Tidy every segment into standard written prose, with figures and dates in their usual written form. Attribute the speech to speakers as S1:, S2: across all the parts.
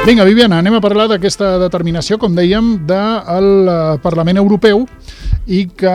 S1: Vinga, Viviana, anem a parlar d'aquesta determinació, com dèiem, del Parlament Europeu i que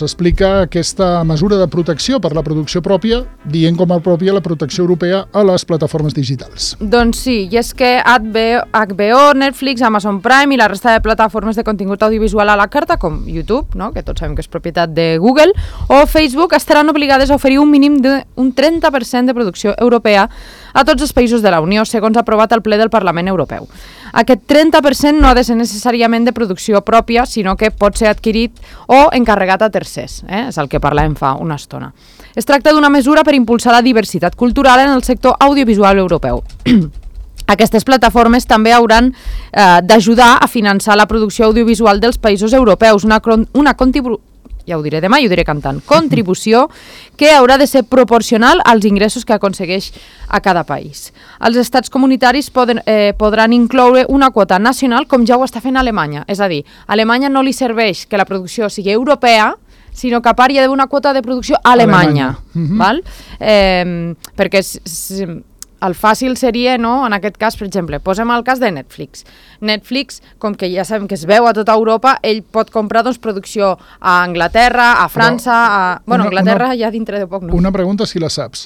S1: explica aquesta mesura de protecció per la producció pròpia, dient com a pròpia la protecció europea a les plataformes digitals.
S2: Doncs sí, i és que HBO, Netflix, Amazon Prime i la resta de plataformes de contingut audiovisual a la carta, com YouTube, no? Que tots sabem que és propietat de Google, o Facebook, estaran obligades a oferir un mínim d'un 30% de producció europea a tots els països de la Unió, segons ha aprovat el ple del Parlament Europeu. Aquest 30% no ha de ser necessàriament de producció pròpia, sinó que pot ser adquirit o encarregat a tercers, és el que parlàvem fa una estona. Es tracta d'una mesura per impulsar la diversitat cultural en el sector audiovisual europeu. Aquestes plataformes també hauran d'ajudar a finançar la producció audiovisual dels països europeus, una ja ho diré demà i ho diré cantant, contribució que haurà de ser proporcional als ingressos que aconsegueix a cada país. Els estats comunitaris podran incloure una quota nacional com ja ho està fent Alemanya. És a dir, a Alemanya no li serveix que la producció sigui europea, sinó que a part hi ha d'haver una quota de producció alemanya. Val? Perquè el fàcil seria, no? En aquest cas, per exemple, posem el cas de Netflix. Netflix, com que ja sabem que es veu a tota Europa, ell pot comprar producció a Anglaterra, a França, Anglaterra ja dintre de poc no.
S1: Una pregunta, si la saps.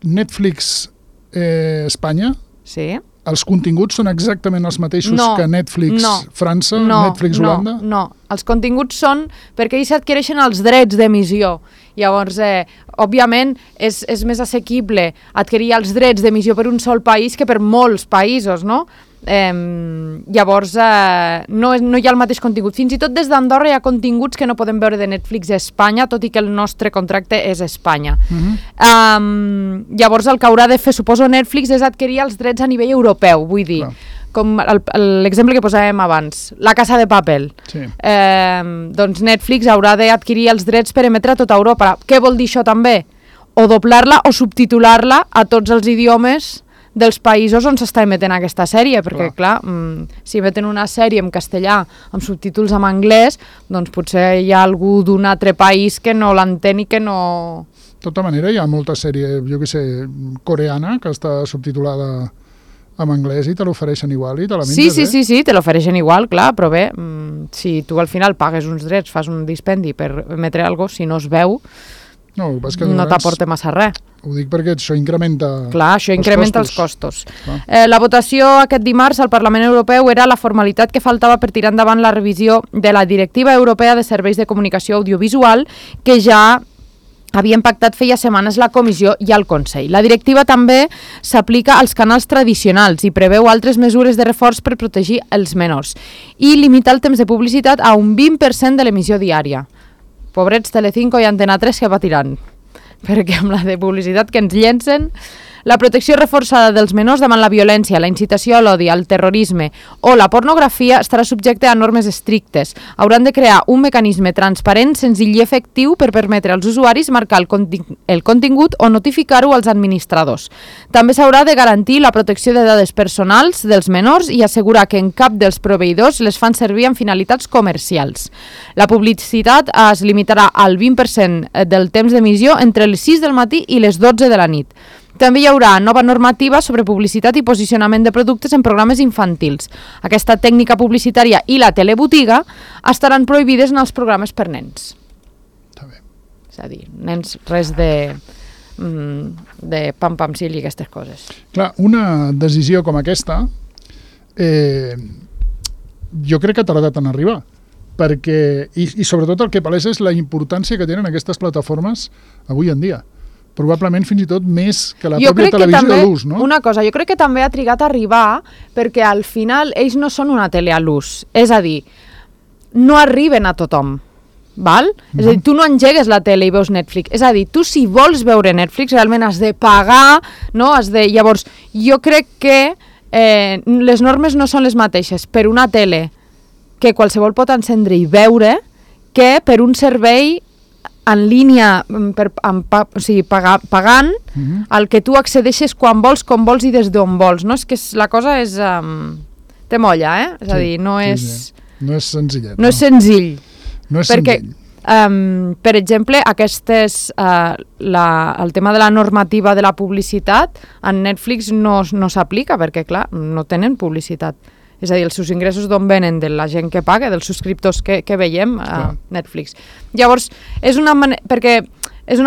S1: Netflix Espanya?
S2: Sí.
S1: Els continguts són exactament els mateixos que Netflix França, Netflix Holanda?
S2: No, els continguts són perquè ells adquireixen els drets d'emissió. Llavors, òbviament, és més assequible adquirir els drets d'emissió per un sol país que per molts països, no? Llavors, no hi ha el mateix contingut. Fins i tot des d'Andorra hi ha continguts que no podem veure de Netflix a Espanya, tot i que el nostre contracte és Espanya. Llavors, el que haurà de fer, suposo, Netflix és adquirir els drets a nivell europeu, vull dir, com l'exemple que posàvem abans, La Casa de Papel. Doncs Netflix haurà d'adquirir els drets per emetre a tota Europa. Què vol dir això també? O doblar-la o subtitular-la a tots els idiomes dels països on s'està emetent aquesta sèrie, perquè, clar, si emeten una sèrie en castellà amb subtítols en anglès, doncs potser hi ha algú d'un altre país que no l'entén i que no...
S1: De tota manera, hi ha molta sèrie, jo què sé, coreana, que està subtitulada en anglès i te l'ofereixen igual i te la menges,
S2: Sí, te l'ofereixen igual, clar, però bé, si tu al final pagues uns drets, fas un dispendi per emetre alguna cosa, si no es veu, no t'aporta massa res.
S1: Ho dic perquè això incrementa
S2: els costos. La votació aquest dimarts al Parlament Europeu era la formalitat que faltava per tirar endavant la revisió de la Directiva Europea de Serveis de Comunicació Audiovisual, que ja havien pactat feia setmanes la Comissió i el Consell. La directiva també s'aplica als canals tradicionals i preveu altres mesures de reforç per protegir els menors i limita el temps de publicitat a un 20% de l'emissió diària. Pobrets Telecinco i Antena 3 que patiran, perquè amb la de publicitat que ens llencen... La protecció reforçada dels menors davant la violència, la incitació a l'odi, el terrorisme o la pornografia estarà subjecte a normes estrictes. Hauran de crear un mecanisme transparent, senzill i efectiu per permetre als usuaris marcar el contingut o notificar-ho als administradors. També s'haurà de garantir la protecció de dades personals dels menors i assegurar que en cap dels proveïdors les fan servir amb finalitats comercials. La publicitat es limitarà al 20% del temps d'emissió entre les 6 del matí i les 12 de la nit. També hi haurà nova normativa sobre publicitat i posicionament de productes en programes infantils. Aquesta tècnica publicitària i la telebotiga estaran prohibides en els programes per nens.
S1: Està bé.
S2: És a dir, nens, res de pam-pam-sil i aquestes coses.
S1: Clar, una decisió com aquesta jo crec que ha tardat en arribar, perquè, i sobretot el que palesa és la importància que tenen aquestes plataformes avui en dia. Probablement fins i tot més que la pròpia televisió a l'ús, no?
S2: Una cosa, jo crec que també ha trigat a arribar perquè al final ells no són una tele a l'ús, és a dir, no arriben a tothom, val? És a dir, tu no engegues la tele i veus Netflix, és a dir, tu si vols veure Netflix realment has de pagar, no? Llavors, jo crec que les normes no són les mateixes per una tele que qualsevol pot encendre i veure que per un servei en línia, pagant, al que tu accedeixes quan vols, com vols i des d'on vols, no? És que la cosa és... té molla, És a dir, no és...
S1: No és senzillet.
S2: No és senzill.
S1: No és
S2: perquè
S1: senzill.
S2: per exemple, el tema de la normativa de la publicitat en Netflix no s'aplica perquè, clar, no tenen publicitat. És a dir, els seus ingressos d'on venen? De la gent que paga, dels subscriptors que veiem a Netflix. Llavors, és una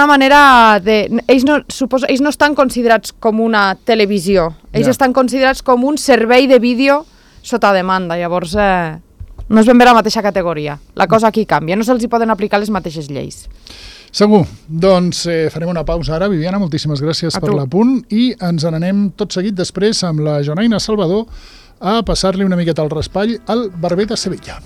S2: manera de... Ells no estan considerats com una televisió, ells estan considerats com un servei de vídeo sota demanda, llavors no és ben bé la mateixa categoria. La cosa aquí canvia, no se'ls hi poden aplicar les mateixes lleis.
S1: Segur. Doncs farem una pausa ara. Viviana, moltíssimes gràcies per l'apunt i ens n'anem tot seguit després amb la Jonaina Salvador a passar-li una miqueta al raspall al Barber de Sevilla.